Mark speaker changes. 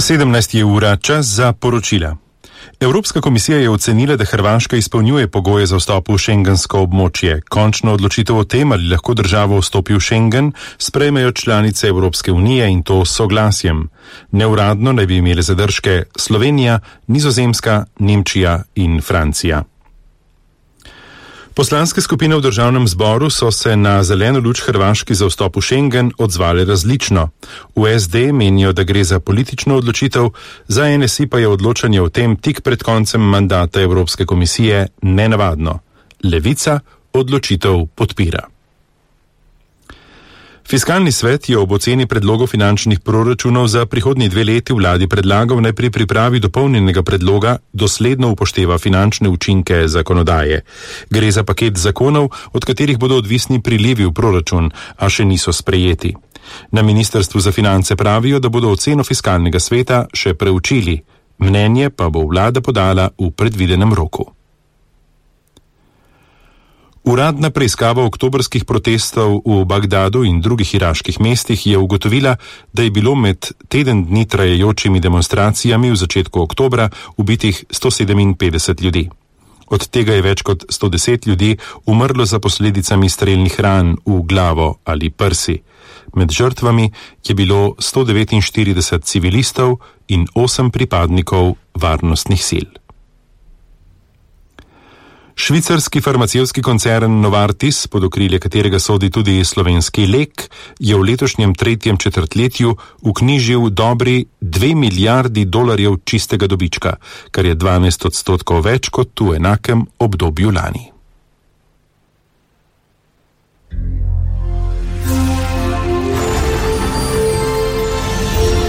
Speaker 1: 17 ura, čas za poročila. Evropska komisija je ocenila, da Hrvaška izpolnjuje pogoje za vstop v šengensko območje. Končno odločitev o tem, ali lahko država vstopi v Schengen, sprejmejo članice Evropske unije in to s soglasjem. Neuradno naj bi imele zadržke Slovenija, Nizozemska, Nemčija in Francija. Poslanske skupine v državnem zboru so se na zeleno luč Hrvaški za vstop v Schengen odzvale različno. V SD menijo, da gre za politično odločitev, za NSI pa je odločanje o tem tik pred koncem mandata Evropske komisije nenavadno. Levica odločitev podpira. Fiskalni svet je ob oceni predlogov finančnih proračunov za prihodnji 2 leti vladi predlagal, naj pri pripravi dopolnjenega predloga dosledno upošteva finančne učinke zakonodaje. Gre za paket zakonov, od katerih bodo odvisni prilivi v proračun, a še niso sprejeti. Na Ministrstvu za finance pravijo, da bodo oceno fiskalnega sveta še preučili. Mnenje pa bo vlada podala v predvidenem roku. Uradna preiskava oktobrskih protestov v Bagdadu in drugih iraških mestih je ugotovila, da je bilo med teden dni trajajočimi demonstracijami v začetku oktobra ubitih 157 ljudi. Od tega je več kot 110 ljudi umrlo za posledicami strelnih ran v glavo ali prsi. Med žrtvami je bilo 149 civilistov in 8 pripadnikov varnostnih sil. Švicarski farmacevtski koncern Novartis, pod okrilje katerega sodi tudi slovenski Lek, je v letošnjem 3. četrtletju vknjižil dobri $2 milijardi čistega dobička, kar je 12% več kot v enakem obdobju lani.